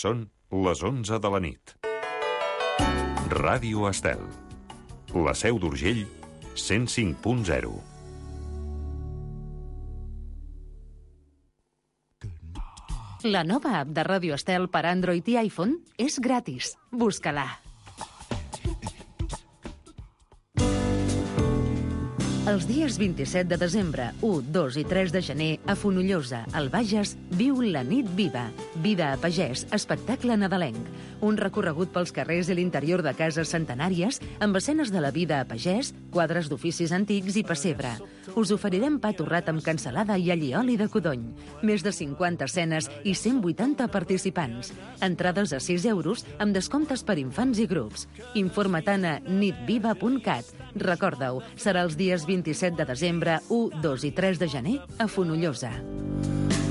Són les 11 de la nit. Ràdio Estel. La Seu d'Urgell, 105.0. La nova app de Ràdio Estel per Android i iPhone és gratis. Busca-la. Els dies 27 de desembre, 1, 2 i 3 de gener, a Fonollosa, al Bages, viu la Nit Viva. Vida a pagès, espectacle nadalenc. Un recorregut pels carrers i l'interior de cases centenàries amb escenes de la vida a pagès, quadres d'oficis antics i pessebre. Us oferirem pa torrat amb cansalada i allioli de codony. Més de 50 escenes i 180 participants. Entrades a 6 euros amb descomptes per infants i grups. Informa't a nitviva.cat. Recorda-ho, serà els dies 27 de desembre, 1, 2 i 3 de gener a Fonollosa.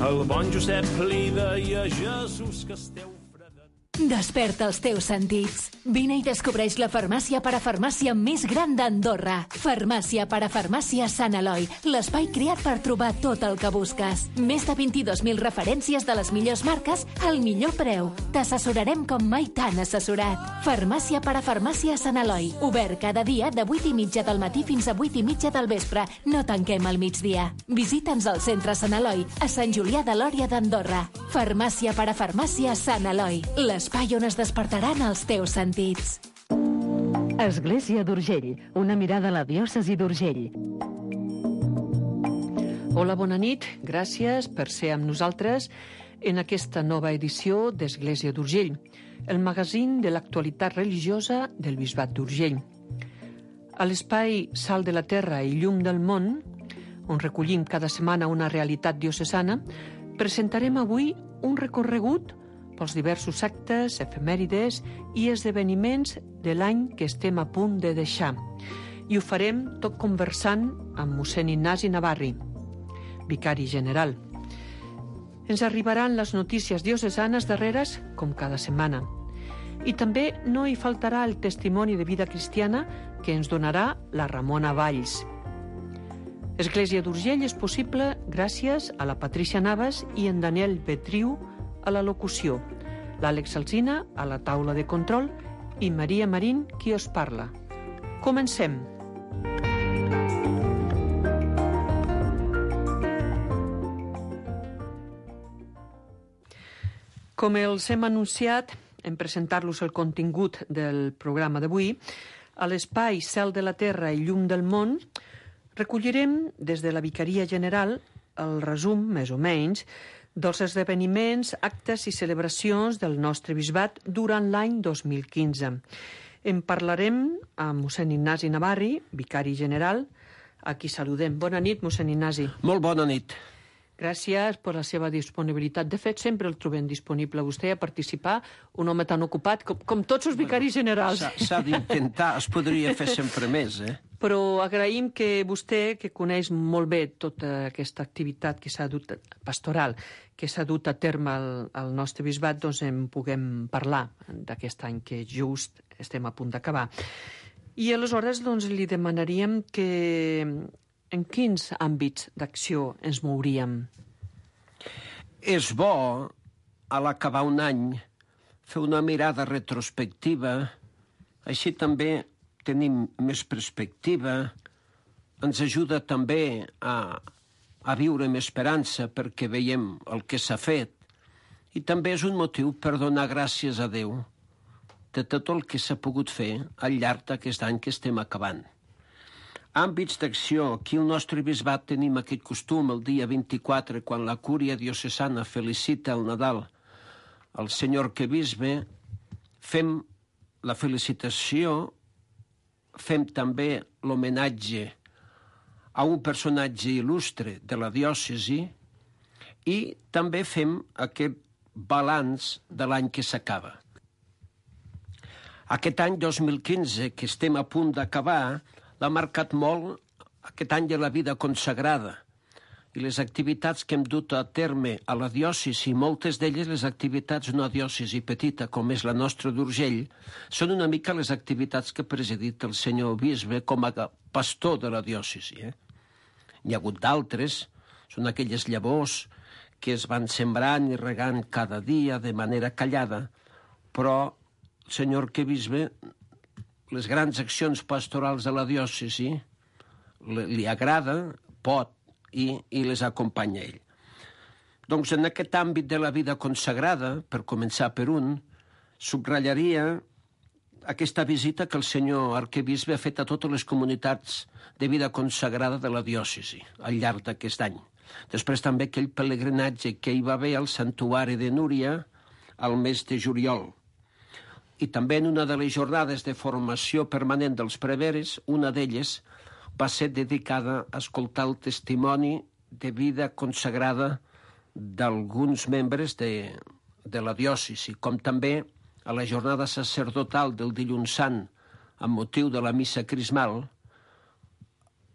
El bon Josep li deia a Jesús que esteu... Desperta els teus sentits. Vine i descobreix la farmàcia parafarmàcia més gran d'Andorra. Farmàcia parafarmàcia Sant Eloi, l'espai creat per trobar tot el que busques. Més de 22.000 referències de les millors marques al millor preu. T'assessorarem com mai t'han assessorat. Farmàcia parafarmàcia Sant Eloi, obert cada dia de 8:30 del matí fins a 8:30 del vespre. No tanquem al migdia. Visita'ns al centre Sant Eloi, a Sant Julià de Lòria d'Andorra. Farmàcia parafarmàcia Sant Eloi, l'espai on es despertaran els teus sentits. Església d'Urgell, una mirada a la diòcesi d'Urgell. Hola, bona nit. Gràcies per ser amb nosaltres en aquesta nova edició d'Església d'Urgell, el magazín de l'actualitat religiosa del Bisbat d'Urgell. A l'espai Sal de la Terra i Llum del Món, on recollim cada setmana una realitat diocesana, presentarem avui un recorregut pels diversos actes, efemèrides i esdeveniments de l'any que estem a punt de deixar. I ho farem tot conversant amb mossèn Ignasi Navarri, vicari general. Ens arribaran les notícies diocesanes darreres, com cada setmana. I també no hi faltarà el testimoni de vida cristiana que ens donarà la Ramona Valls. Església d'Urgell és possible gràcies a la Patrícia Navas i en Daniel Betriu a la locució, l'Àlex Alsina a la taula de control i Maria Marín qui us parla. Comencem. Com els hem anunciat, en presentar-los el contingut del programa d'avui, a l'espai Cel de la Terra i Llum del Món, recollirem des de la Vicaria General el resum, més o menys, dels esdeveniments, actes i celebracions del nostre bisbat durant l'any 2015. En parlarem amb mossèn Ignasi Navarri, vicari general, a qui saludem. Bona nit, mossèn Ignasi. Molt bona nit. Gràcies per la seva disponibilitat. De fet, sempre el trobem disponible a vostè a participar, un home tan ocupat com tots els vicaris generals. S'ha d'intentar, es podria fer sempre més, Però agraïm que vostè, que coneix molt bé tota aquesta activitat que s'ha dut pastoral, que s'ha dut a terme al nostre bisbat, doncs en puguem parlar d'aquest any que just estem a punt d'acabar. I aleshores doncs, li demanaríem que en quins àmbits d'acció ens mouríem? És bo, a l'acabar un any, fer una mirada retrospectiva, així també tenim més perspectiva, ens ajuda també a viure amb esperança perquè veiem el que s'ha fet i també és un motiu per donar gràcies a Déu de tot el que s'ha pogut fer al llarg d'aquest any que estem acabant. Àmbits d'acció. Aquí al nostre bisbat tenim aquest costum el dia 24, quan la cúria diocesana felicita el Nadal al senyor arquebisbe, fem la felicitació, fem també l'homenatge a un personatge il·lustre de la diòcesi i també fem aquest balanç de l'any que s'acaba. Aquest any 2015, que estem a punt d'acabar, l'ha marcat molt aquest any de la vida consagrada i les activitats que hem dut a terme a la diòcesi, moltes d'elles les activitats d'una diòcesi petita com és la nostra d'Urgell, són una mica les activitats que ha presidit el senyor bisbe com a pastor de la diòcesi. N'hi ha hagut d'altres, Són aquelles llavors que es van sembrant i regant cada dia de manera callada, però el senyor arquebisbe, les grans accions pastorals de la diòcesi li agrada, pot, i les acompanya ell. Doncs en aquest àmbit de la vida consagrada, per començar per un, subratllaria aquesta visita que el senyor arquebisbe ha fet a totes les comunitats de vida consagrada de la diòcesi al llarg d'aquest any. Després també aquell pelegrinatge que hi va haver al santuari de Núria al mes de juliol. I també en una de les jornades de formació permanent dels preveres, una d'elles va ser dedicada a escoltar el testimoni de vida consagrada d'alguns membres de la diòcesi, com també a la jornada sacerdotal del Dilluns Sant, amb motiu de la missa crismal.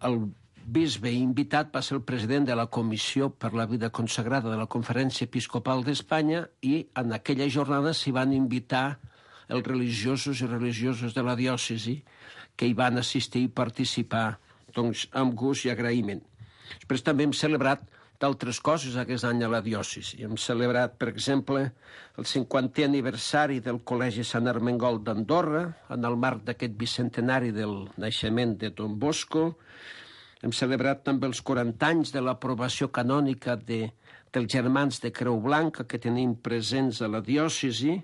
El bisbe invitat va ser el president de la Comissió per la Vida Consagrada de la Conferència Episcopal d'Espanya i en aquella jornada s'hi van invitar els religiosos i religioses de la diòcesi que hi van assistir i participar doncs, amb gust i agraïment. Després també hem celebrat d'altres coses aquest any a la diòcesi. Hem celebrat, per exemple, el 50è aniversari del Col·legi Sant Ermengol d'Andorra, en el marc d'aquest bicentenari del naixement de Don Bosco. Hem celebrat també els 40 anys de l'aprovació canònica dels Germans de Creu Blanca que tenim presents a la diòcesi,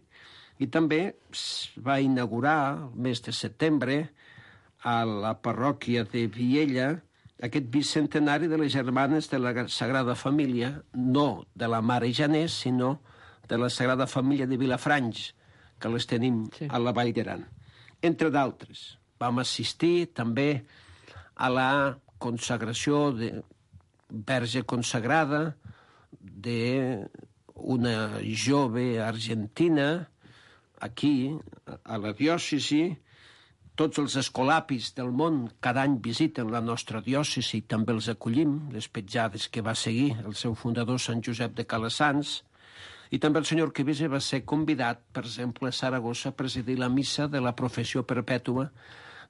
i també es va inaugurar el mes de setembre a la parròquia de Viella aquest bicentenari de les Germanes de la Sagrada Família, no de la Mare Janés, sinó de la Sagrada Família de Vilafranys, que les tenim a la Vall d'Aran. Entre d'altres, vam assistir també a la consagració de verge consagrada d'una jove argentina aquí, a la diòcesi. Tots els escolapis del món cada any visiten la nostra diòcesi i també els acollim, les petjades que va seguir el seu fundador Sant Josep de Calasanç. I també el senyor arquebisbe va ser convidat, per exemple, a Saragossa a presidir la missa de la professió perpètua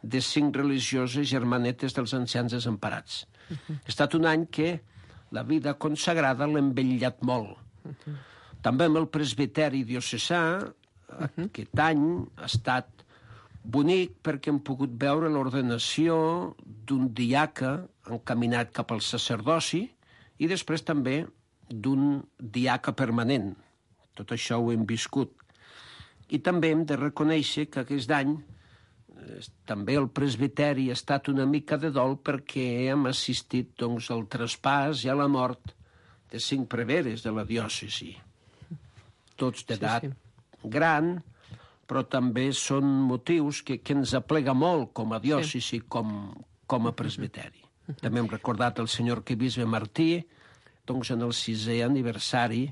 de 5 religioses germanetes dels ancians desemparats. Ha estat un any que la vida consagrada l'ha embellat molt. També amb el presbiteri diocesà, aquest any ha estat bonic perquè hem pogut veure l'ordenació d'un diaca encaminat cap al sacerdoci i després també d'un diaca permanent. Tot això ho hem viscut. I també hem de reconèixer que aquest any també el presbiteri ha estat una mica de dol perquè hem assistit doncs, al traspàs i a la mort de 5 preveres de la diòcesi. Tots d'edat gran, però també són motius que ens aplega molt com a diòcesi, com a presbiteri. També hem recordat el senyor arquebisbe Martí doncs, en el 6è aniversari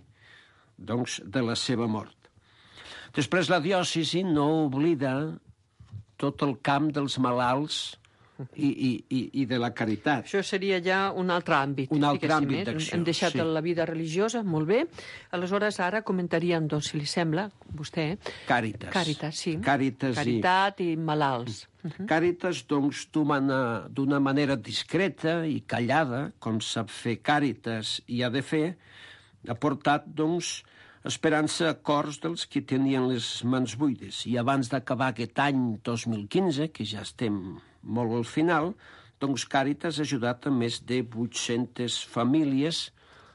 doncs, de la seva mort. Després la diòcesi no oblida tot el camp dels malalts i de la caritat. Això seria ja un altre àmbit. Un altre àmbit d'acció. Hem deixat la vida religiosa, molt bé. Aleshores, ara comentaríem, doncs, si li sembla, vostè... Càritas. Càritas, sí. Caritat i malalts. Càritas, doncs, d'una manera discreta i callada, com sap fer Càritas i ha de fer, ha portat, doncs, esperança a cors dels que tenien les mans buides. I abans d'acabar aquest any 2015, que ja estem molt al final, doncs Càritas ha ajudat a més de 800 famílies,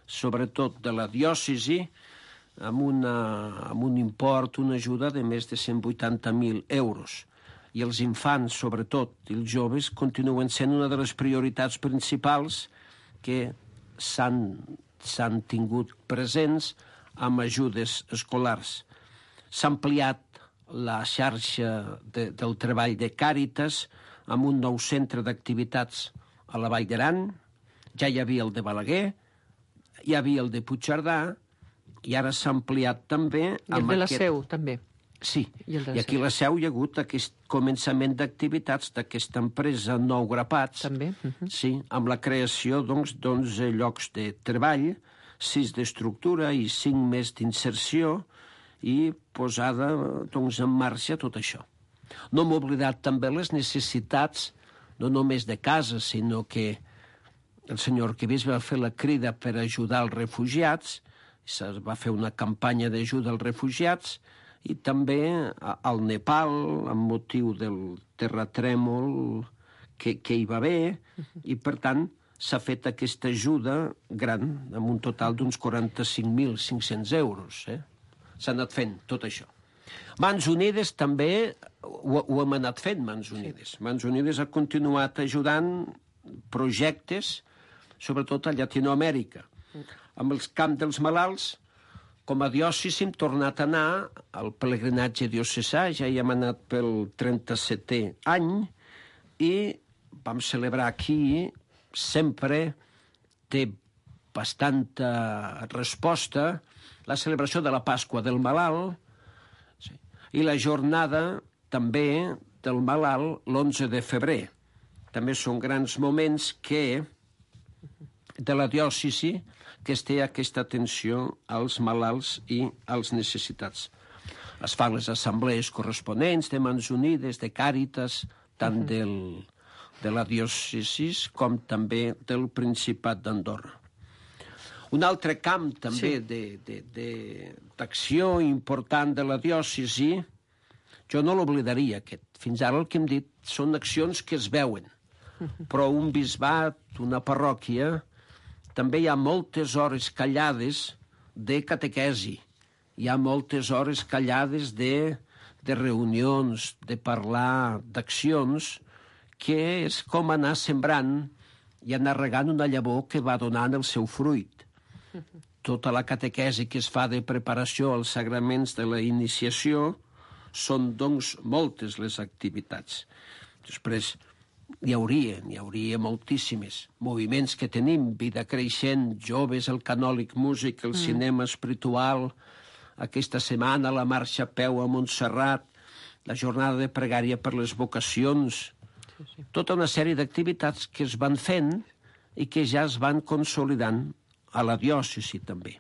sobretot de la diòcesi, amb un import, una ajuda de més de 180.000 euros. I els infants, sobretot, i els joves, continuen sent una de les prioritats principals que s'han tingut presents amb ajudes escolars. S'ha ampliat la xarxa del treball de Càritas amb un nou centre d'activitats a la Vall d'Aran. Ja hi havia el de Balaguer, hi havia el de Puigcerdà, i ara s'ha ampliat també... I el de la Seu, també. Sí, i aquí a la Seu hi ha hagut aquest començament d'activitats d'aquesta empresa Nou Grapats, també. Sí, amb la creació d'11 llocs de treball, 6 d'estructura i 5 més d'inserció, i posada en marxa tot això. No hem oblidat també les necessitats, no només de casa, sinó que el senyor arquebisbe va fer la crida per ajudar els refugiats, se va fer una campanya d'ajuda als refugiats, i també al Nepal, amb motiu del terratrèmol que hi va haver, i per tant s'ha fet aquesta ajuda gran, amb un total d'uns 45.500 euros. S'ha anat fent tot això. Mans Unides també ho hem anat fent, Mans Unides. Mans Unides ha continuat ajudant projectes, sobretot a Llatinoamèrica. Amb els camps dels malalts, com a diòcesi hem tornat a anar al pelegrinatge diocesà, ja hi hem anat pel 37è any, i vam celebrar aquí, sempre té bastanta resposta, la celebració de la Pasqua del Malalt, i la jornada també del Malalt l'11 de febrer. També són grans moments de la diòcesi que es té aquesta atenció als malalts i als necessitats. Es fan les assemblees corresponents de Mans Unides, de Càritas, tant de la diòcesi com també del Principat d'Andorra. Un altre camp també d'acció important de la diòcesi, jo no l'oblidaria aquest. Fins ara el que hem dit són accions que es veuen, però un bisbat, una parròquia, també hi ha moltes hores callades de catequesi, hi ha moltes hores callades de reunions, de parlar d'accions, que és com anar sembrant i anar regant una llavor que va donant el seu fruit. Tota la catequesi que es fa de preparació als sagraments de la iniciació són, doncs, moltes les activitats. Després, n'hi hauria moltíssimes. Moviments que tenim, Vida Creixent, Joves, el Canòlic Músic, el Cinema Espiritual, aquesta setmana la marxa a peu a Montserrat, la jornada de pregària per les vocacions, tota una sèrie d'activitats que es van fent i que ja es van consolidant a la diòcesi també.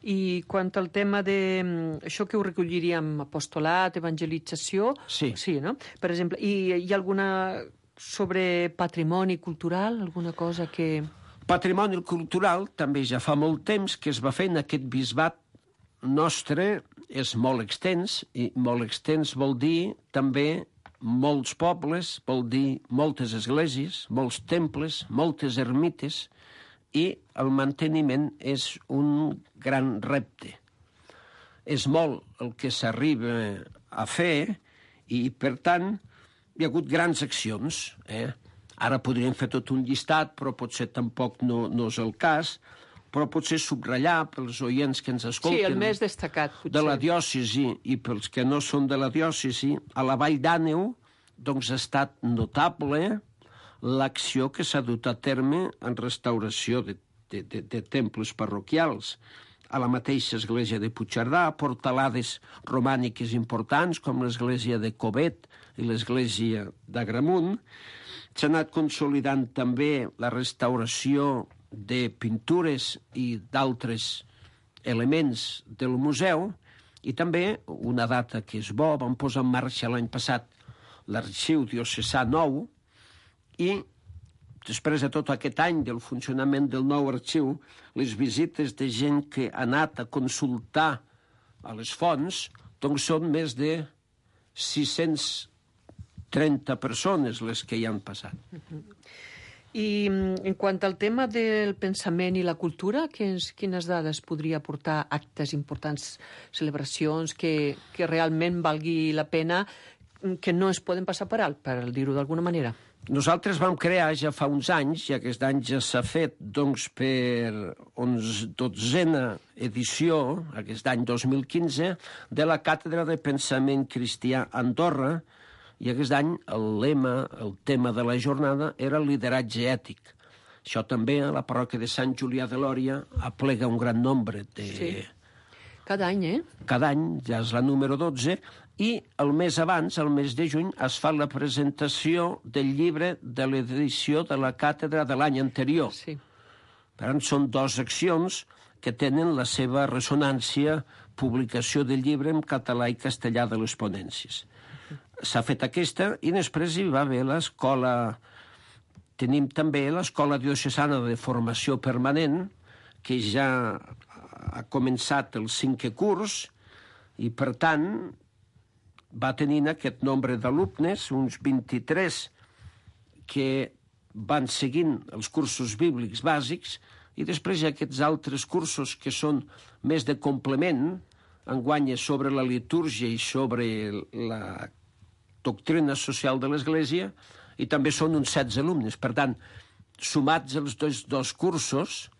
I quant al tema això que ho recolliríem, apostolat, evangelització... Sí, no? Per exemple, hi ha alguna sobre patrimoni cultural, alguna cosa que... Patrimoni cultural també ja fa molt temps que es va fer en aquest bisbat nostre, és molt extens, i molt extens vol dir també molts pobles, vol dir moltes esglésies, molts temples, moltes ermites, i el manteniment és un gran repte. És molt el que s'arriba a fer i, per tant, hi ha hagut grans accions. Ara podríem fer tot un llistat, però potser tampoc no és el cas, però potser subratllar pels oients que ens escolten... Sí, el més destacat, potser. De la diòcesi i pels que no són de la diòcesi, a la Vall d'Àneu, doncs ha estat notable l'acció que s'ha dut a terme en restauració de temples parroquials. A la mateixa església de Puigcerdà, portalades romàniques importants, com l'església de Covet i l'església d'Agramunt. S'ha anat consolidant també la restauració de pintures i d'altres elements del museu, i també una data que és bo, vam posar en marxa l'any passat l'Arxiu Diocesà Nou, i després de tot aquest any del funcionament del nou arxiu, les visites de gent que ha anat a consultar a les fonts, doncs són més de 630 persones les que hi han passat. I en quant al tema del pensament i la cultura, quines dades podria aportar actes importants, celebracions, que realment valgui la pena, que no es poden passar per alt, per dir-ho d'alguna manera? Nosaltres vam crear ja fa uns anys, i aquest any ja s'ha fet doncs, per 12a edició, aquest any 2015, de la Càtedra de Pensament Cristià a Andorra, i aquest any el lema, el tema de la jornada, era el lideratge ètic. Això també a la parròquia de Sant Julià de Lòria aplega un gran nombre de... Sí. Cada any, Cada any, ja és la número 12, i el mes abans, el mes de juny, es fa la presentació del llibre de l'edició de la càtedra de l'any anterior. Sí. Per tant, són dues accions que tenen la seva ressonància, publicació del llibre en català i castellà de les ponències. S'ha fet aquesta i després hi va haver l'escola Tenim també l'Escola Diocesana de Formació Permanent, que ja ha començat el 5è curs i, per tant, va tenint aquest nombre d'alumnes, uns 23, que van seguint els cursos bíblics bàsics, i després hi ha aquests altres cursos que són més de complement, enguany sobre la litúrgia i sobre la doctrina social de l'Església, i també són uns 16 alumnes. Per tant, sumats els dos cursos,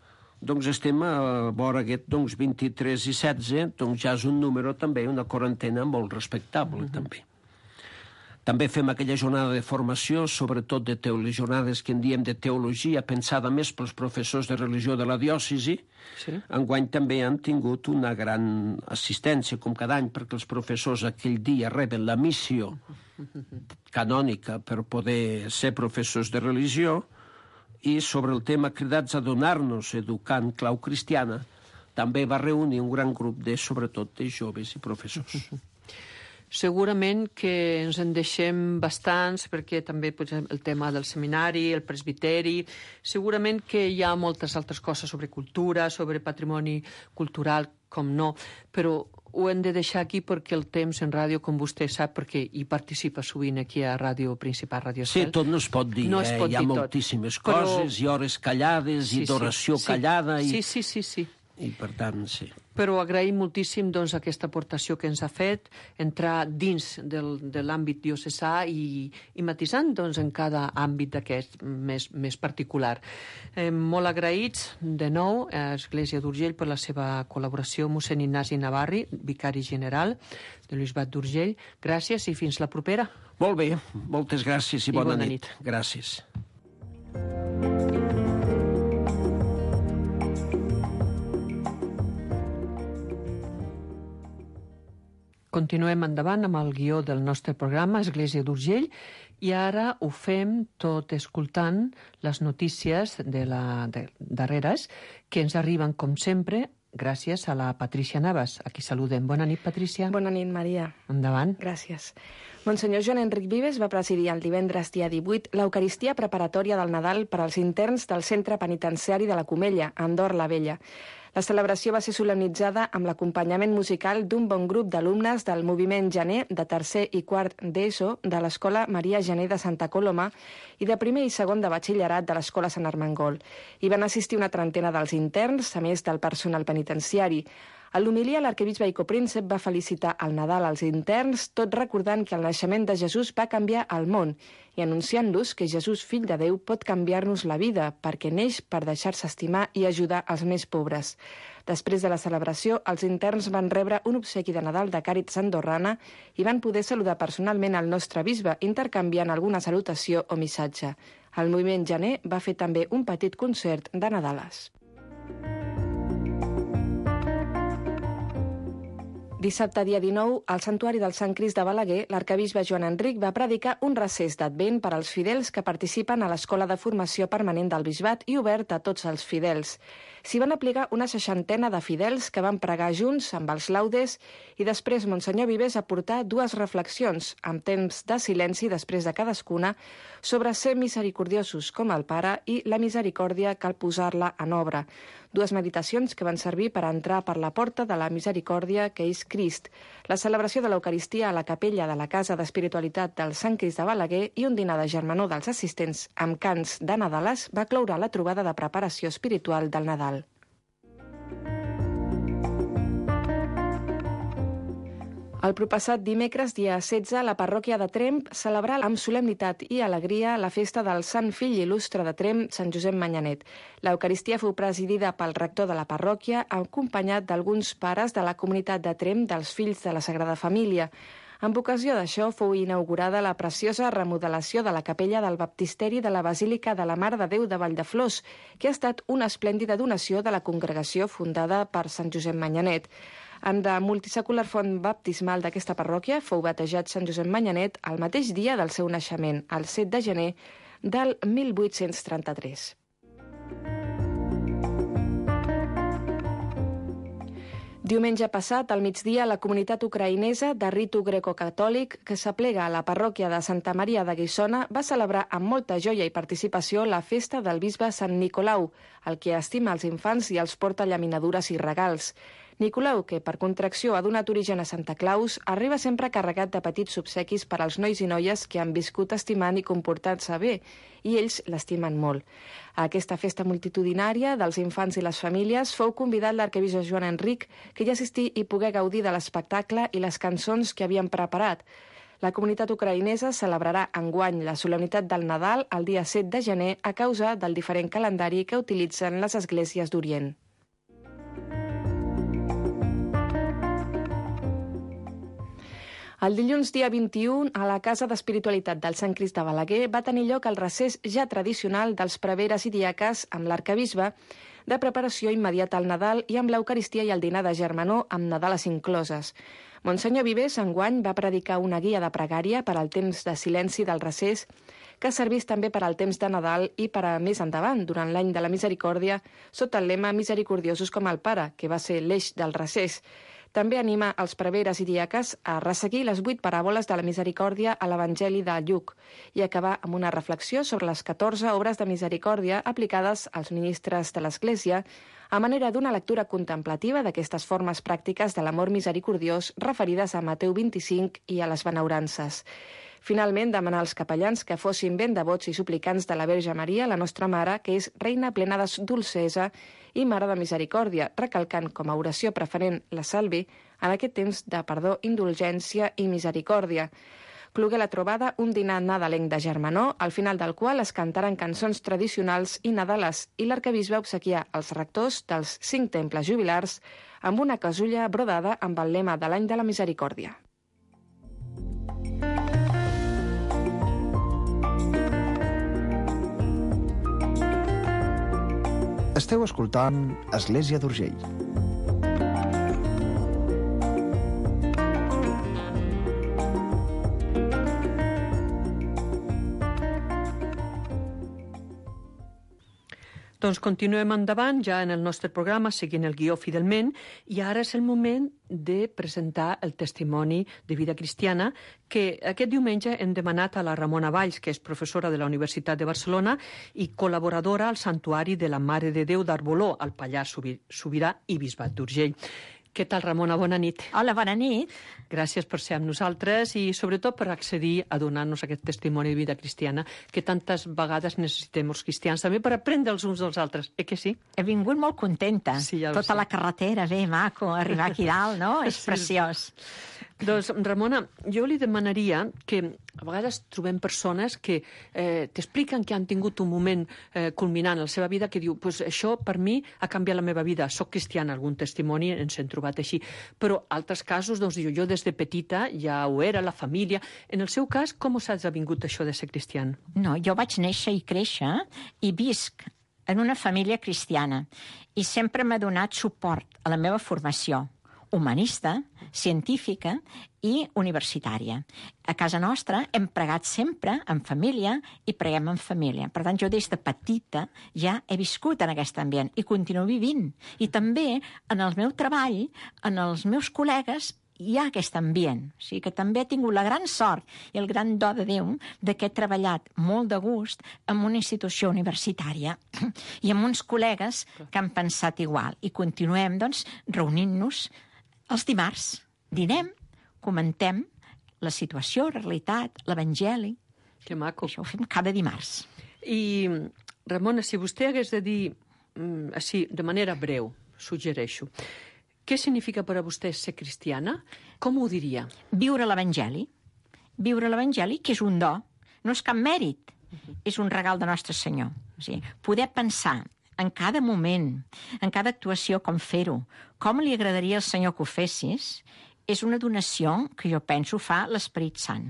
doncs estem a vora aquest 23 i 16, doncs ja és un número també, una quarantena molt respectable, també. També fem aquella jornada de formació, sobretot de jornades que en diem de teologia, pensada més pels professors de religió de la diòcesi. Sí. Enguany també han tingut una gran assistència, com cada any, perquè els professors aquell dia reben la missió canònica per poder ser professors de religió, i sobre el tema cridats a donar-nos educant clau cristiana, també va reunir un gran grup sobretot de joves i professors. Segurament que ens en deixem bastants, perquè també el tema del seminari, el presbiteri, segurament que hi ha moltes altres coses sobre cultura, sobre patrimoni cultural, com no, però ho hem de deixar aquí perquè el temps en ràdio, com vostè sap, perquè hi participa sovint aquí a Ràdio Principal, Ràdio Cel. Sí, tot no es pot dir, no es pot hi ha dir moltíssimes coses, i hores callades, i d'oració callada. Sí. I per tant, sí. Però agraïm moltíssim doncs, aquesta aportació que ens ha fet, entrar dins de l'àmbit diocesà i matisant doncs, en cada àmbit d'aquest més particular. Molt agraïts de nou a Església d'Urgell per la seva col·laboració, mossèn Ignasi Navarri, vicari general de l'Bisbat d'Urgell. Gràcies i fins la propera. Molt bé, moltes gràcies i bona nit. Gràcies. Continuem endavant amb el guió del nostre programa Església d'Urgell i ara ho fem tot escoltant les notícies darreres que ens arriben, com sempre, gràcies a la Patrícia Navas. Aquí saludem. Bona nit, Patrícia. Bona nit, Maria. Endavant. Gràcies. Monsenyor Joan Enric Vives va presidir el divendres dia 18 l'Eucaristia preparatòria del Nadal per als interns del Centre Penitenciari de la Comella, a Andorra la Vella. La celebració va ser solemnitzada amb l'acompanyament musical d'un bon grup d'alumnes del moviment Gener de tercer i quart d'ESO de l'Escola Maria Gener de Santa Coloma i de primer i segon de batxillerat de l'Escola Sant Armengol. Hi van assistir una trentena dels interns, a més del personal penitenciari. A l'homilia, l'arquebisbe i copríncep va felicitar el Nadal als interns, tot recordant que el naixement de Jesús va canviar el món i anunciant-los que Jesús, fill de Déu, pot canviar-nos la vida perquè neix per deixar-se estimar i ajudar els més pobres. Després de la celebració, els interns van rebre un obsequi de Nadal de Càritas andorrana i van poder saludar personalment el nostre bisbe, intercanviant alguna salutació o missatge. El moviment Gener va fer també un petit concert de Nadales. Dissabte, dia 19, al Santuari del Sant Crist de Balaguer, l'arquebisbe Joan Enric va predicar un recés d'Advent per als fidels que participen a l'Escola de Formació Permanent del Bisbat i obert a tots els fidels. S'hi van aplicar una 60ena de fidels que van pregar junts amb els laudes i després Monsenyor Vives aportà dues reflexions, amb temps de silenci després de cadascuna, sobre ser misericordiosos com el Pare i la misericòrdia cal posar-la en obra. Dues meditacions que van servir per entrar per la porta de la misericòrdia que és Crist, la celebració de l'Eucaristia a la capella de la Casa d'Espiritualitat del Sant Crist de Balaguer i un dinar de germanor dels assistents amb cants de Nadales va cloure la trobada de preparació espiritual del Nadal. El proppassat dimecres, dia 16, la parròquia de Tremp celebrà amb solemnitat i alegria la festa del Sant Fill Il·lustre de Tremp, Sant Josep Manyanet. L'Eucaristia fou presidida pel rector de la parròquia, acompanyat d'alguns pares de la comunitat de Tremp dels Fills de la Sagrada Família. Amb ocasió d'això fou inaugurada la preciosa remodelació de la capella del baptisteri de la Basílica de la Mare de Déu de Valldeflors, que ha estat una esplèndida donació de la congregació fundada per Sant Josep Manyanet. En la multisecular font baptismal d'aquesta parròquia fou batejat Sant Josep Manyanet el mateix dia del seu naixement, el 7 de gener del 1833. Diumenge passat, al migdia, la comunitat ucraïnesa de ritu grecocatòlic que s'aplega a la parròquia de Santa Maria de Guissona va celebrar amb molta joia i participació la festa del bisbe Sant Nicolau, el que estima els infants i els porta llaminadures i regals. Nicolau, que per contracció ha donat origen a Santa Claus, arriba sempre carregat de petits obsequis per als nois i noies que han viscut estimant i comportant-se bé, i ells l'estimen molt. A aquesta festa multitudinària dels infants i les famílies fou convidat l'arquebisbe Joan Enric, que hi assistí i pogué gaudir de l'espectacle i les cançons que havien preparat. La comunitat ucraïnesa celebrarà enguany la solemnitat del Nadal el dia 7 de gener a causa del diferent calendari que utilitzen les esglésies d'Orient. El dilluns dia 21, a la Casa d'Espiritualitat del Sant Crist de Balaguer va tenir lloc el recés ja tradicional dels preveres i diaques amb l'arquebisbe, de preparació immediata al Nadal i amb l'Eucaristia i el dinar de germanor amb Nadales incloses. Monsenyor Vives enguany va predicar una guia de pregària per al temps de silenci del recés, que servís també per al temps de Nadal i per a més endavant, durant l'any de la misericòrdia, sota el lema Misericordiosos com el Pare, que va ser l'eix del recés. També anima els preveres i diaques a resseguir les 8 paràboles de la misericòrdia a l'Evangeli de Lluc i acabar amb una reflexió sobre les 14 obres de misericòrdia aplicades als ministres de l'Església a manera d'una lectura contemplativa d'aquestes formes pràctiques de l'amor misericordiós referides a Mateu 25 i a les benaurances. Finalment, demanar als capellans que fossin ben devots i suplicants de la Verge Maria, la nostra Mare, que és reina plena de dolcesa i Mare de Misericòrdia, recalcant com a oració preferent la Salvi en aquest temps de perdó, indulgència i misericòrdia. Clogué la trobada un dinar nadalenc de germanor, al final del qual es cantaren cançons tradicionals i nadales, i l'arquebisbe obsequià als rectors dels 5 temples jubilars amb una casulla brodada amb el lema de l'any de la misericòrdia. Esteu escoltant Església d'Urgell. Doncs continuem endavant ja en el nostre programa, seguint el guió fidelment, i ara és el moment de presentar el testimoni de vida cristiana que aquest diumenge hem demanat a la Ramona Valls, que és professora de la Universitat de Barcelona i col·laboradora al Santuari de la Mare de Déu d'Arboló, al Pallars Sobirà i Bisbat d'Urgell. Què tal, Ramona? Bona nit. Hola, bona nit. Gràcies per ser amb nosaltres i sobretot per accedir a donar-nos aquest testimoni de vida cristiana que tantes vegades necessitem els cristians, també per aprendre els uns dels altres, que sí? He vingut molt contenta. Sí, ja tota la carretera, bé, maco, arribar aquí dalt, no? És preciós. Doncs, Ramona, jo li demanaria que a vegades trobem persones que t'expliquen que han tingut un moment culminant en la seva vida que diu, pues això per mi ha canviat la meva vida, soc cristiana, algun testimoni ens hem trobat així, però altres casos, doncs diu, jo des de petita ja ho era, la família. En el seu cas, com us ha vingut això de ser cristian? No, jo vaig néixer i créixer i visc en una família cristiana i sempre m'ha donat suport a la meva formació humanista, científica i universitària. A casa nostra hem pregat sempre en família i preguem en família. Per tant, jo des de petita ja he viscut en aquest ambient i continuo vivint. I també en el meu treball, en els meus col·legues, hi ha aquest ambient. O sigui que també he tingut la gran sort i el gran do de Déu de que he treballat molt de gust en una institució universitària i amb uns col·legues que han pensat igual. I continuem, doncs, reunint-nos els dimarts. Dinem, comentem la situació, la realitat, l'evangeli. Que maco. Això ho fem cada dimarts. I, Ramona, si vostè hagués de dir, així, de manera breu, suggereixo, què significa per a vostè ser cristiana? Com ho diria? Viure l'evangeli. Viure l'evangeli, que és un do. No és cap mèrit. És un regal de Nostre Senyor. O sigui, poder pensar en cada moment, en cada actuació, com fer-ho, com li agradaria al Senyor que ho fessis, és una donació que jo penso fa l'Esperit Sant.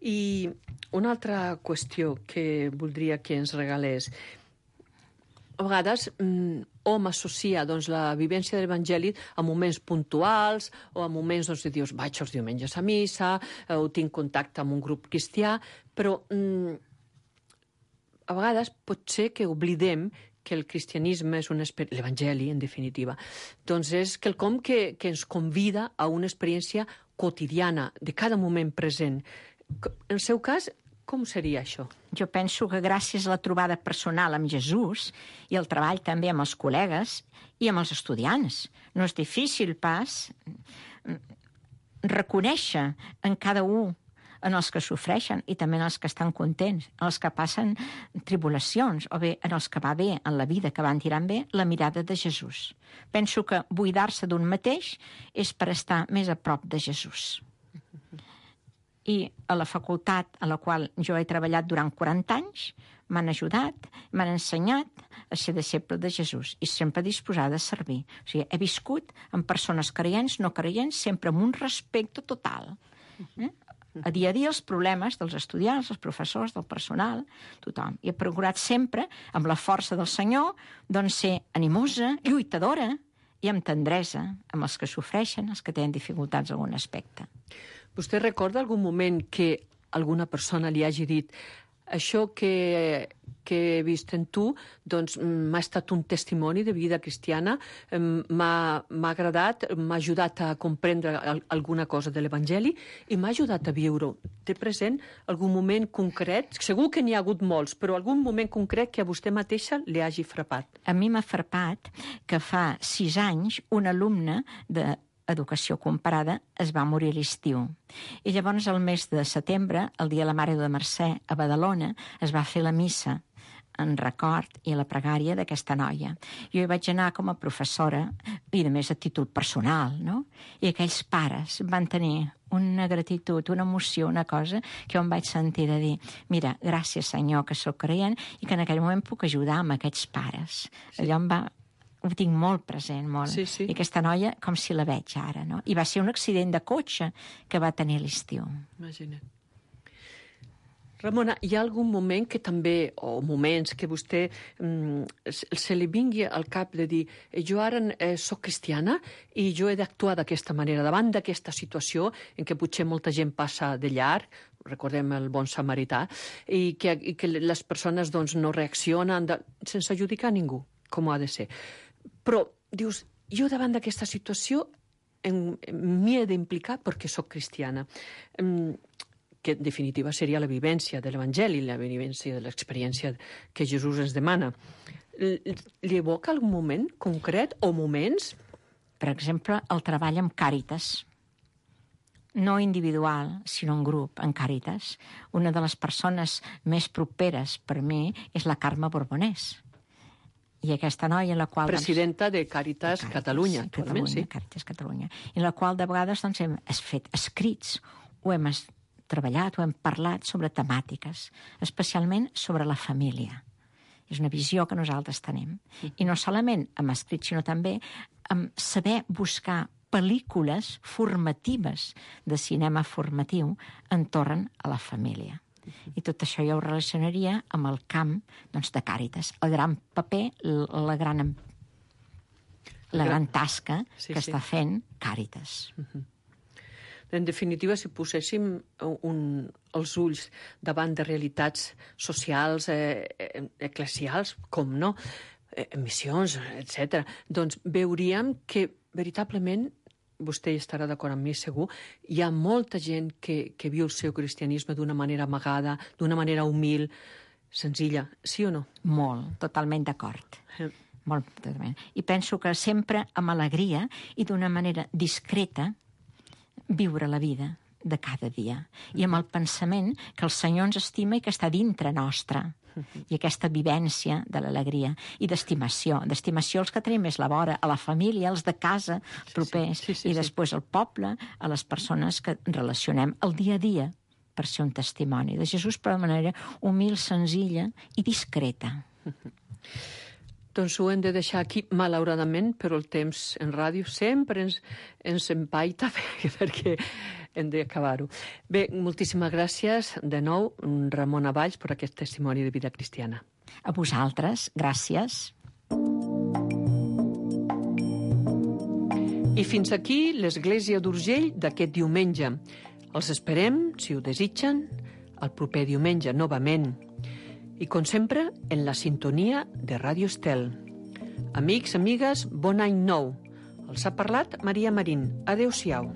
I una altra qüestió que voldria que ens regalés. A vegades hom associa la vivència de l'Evangeli a moments puntuals o a moments de dius, vaig els diumenges a missa, o tinc contacte amb un grup cristià, però a vegades pot ser que oblidem que el cristianisme és l'Evangeli, en definitiva, doncs és quelcom que ens convida a una experiència quotidiana, de cada moment present. En el seu cas, com seria això? Jo penso que gràcies a la trobada personal amb Jesús i el treball també amb els col·legues i amb els estudiants, no és difícil pas reconèixer en cada un, en els que sofreixen i també en els que estan contents, en els que passen tribulacions, o bé en els que va bé en la vida, que van tirant bé, la mirada de Jesús. Penso que buidar-se d'un mateix és per estar més a prop de Jesús. I a la facultat a la qual jo he treballat durant 40 anys m'han ajudat, m'han ensenyat a ser deixeble de Jesús i sempre disposada a servir. O sigui, he viscut amb persones creients, no creients, sempre amb un respecte total. A dia els problemes dels estudiants, dels professors, del personal, tothom. I he procurat sempre, amb la força del Senyor, doncs ser animosa, lluitadora i amb tendresa amb els que sofreixen, els que tenen dificultats en algun aspecte. Vostè recorda algun moment que alguna persona li hagi dit això que he vist en tu doncs m'ha estat un testimoni de vida cristiana, m'ha agradat, m'ha ajudat a comprendre alguna cosa de l'Evangeli i m'ha ajudat a viure-ho. Té present algun moment concret? Segur que n'hi ha hagut molts, però algun moment concret que a vostè mateixa li hagi frapat. A mi m'ha frapat que fa 6 anys un alumne d'educació comparada es va morir a l'estiu. I llavors, al mes de setembre, el dia de la Mare de Mercè, a Badalona, es va fer la missa en record i la pregària d'aquesta noia. Jo hi vaig anar com a professora i, a més, a títol personal, no? I aquells pares van tenir una gratitud, una emoció, una cosa que jo em vaig sentir de dir mira, gràcies, Senyor, que sóc creient i que en aquell moment puc ajudar amb aquests pares. Sí. Allò ho tinc molt present, molt. Sí, sí. I aquesta noia, com si la veig ara, no? I va ser un accident de cotxe que va tenir a l'estiu. Imagina't. Ramona, hi ha algun moment que també, o moments que vostè se li vingui al cap de dir jo ara soc cristiana i jo he d'actuar d'aquesta manera, davant d'aquesta situació en què potser molta gent passa de llarg, recordem el bon samarità, i que les persones doncs, no reaccionen sense adjudicar a ningú, com ha de ser. Però dius, jo davant d'aquesta situació m'hi he d'implicar perquè sóc cristiana. Que en definitiva seria la vivència de l'Evangeli, la vivència de l'experiència que Jesús ens demana. Li evoca algun moment concret o moments? Per exemple, el treball amb Càritas. No individual, sinó en grup, en Càritas. Una de les persones més properes per mi és la Carme Borbonès. I aquesta noia en la qual... Presidenta de Càritas Catalunya, actualment, sí. Càritas Catalunya. En la qual de vegades doncs, hem fet escrits o hem treballat o hem parlat sobre temàtiques, especialment sobre la família. És una visió que nosaltres tenim. I no solament amb escrits, sinó també amb saber buscar pel·lícules formatives de cinema formatiu entorn a la família. I tot això jo ho relacionaria amb el camp doncs, de Càritas. El gran paper, la gran tasca que està fent Càritas. En definitiva, si poséssim els ulls davant de realitats socials, eclesials, com no, missions, etc., doncs veuríem que veritablement, vostè estarà d'acord amb mi segur, hi ha molta gent que viu el seu cristianisme d'una manera amagada, d'una manera humil, senzilla, sí o no? Molt, totalment d'acord. Molt, totalment. I penso que sempre amb alegria i d'una manera discreta viure la vida de cada dia. I amb el pensament que el Senyor ens estima i que està dintre nostra. I aquesta vivència de l'alegria i d'estimació. D'estimació els que tenim és la vora, a la família, els de casa, els propers, i després al poble, a les persones que relacionem el dia a dia per ser un testimoni de Jesús, però de manera humil, senzilla i discreta. Doncs ho hem de deixar aquí, malauradament, però el temps en ràdio sempre ens empaita perquè hem d'acabar-ho. Bé, moltíssimes gràcies de nou, Ramona Valls, per aquest testimoni de vida cristiana. A vosaltres, gràcies. I fins aquí l'Església d'Urgell d'aquest diumenge. Els esperem, si ho desitgen, el proper diumenge, novament. i, com sempre, en la sintonia de Ràdio Estel. Amics, amigues, bon any nou. Els ha parlat Maria Marín. Adéu-siau.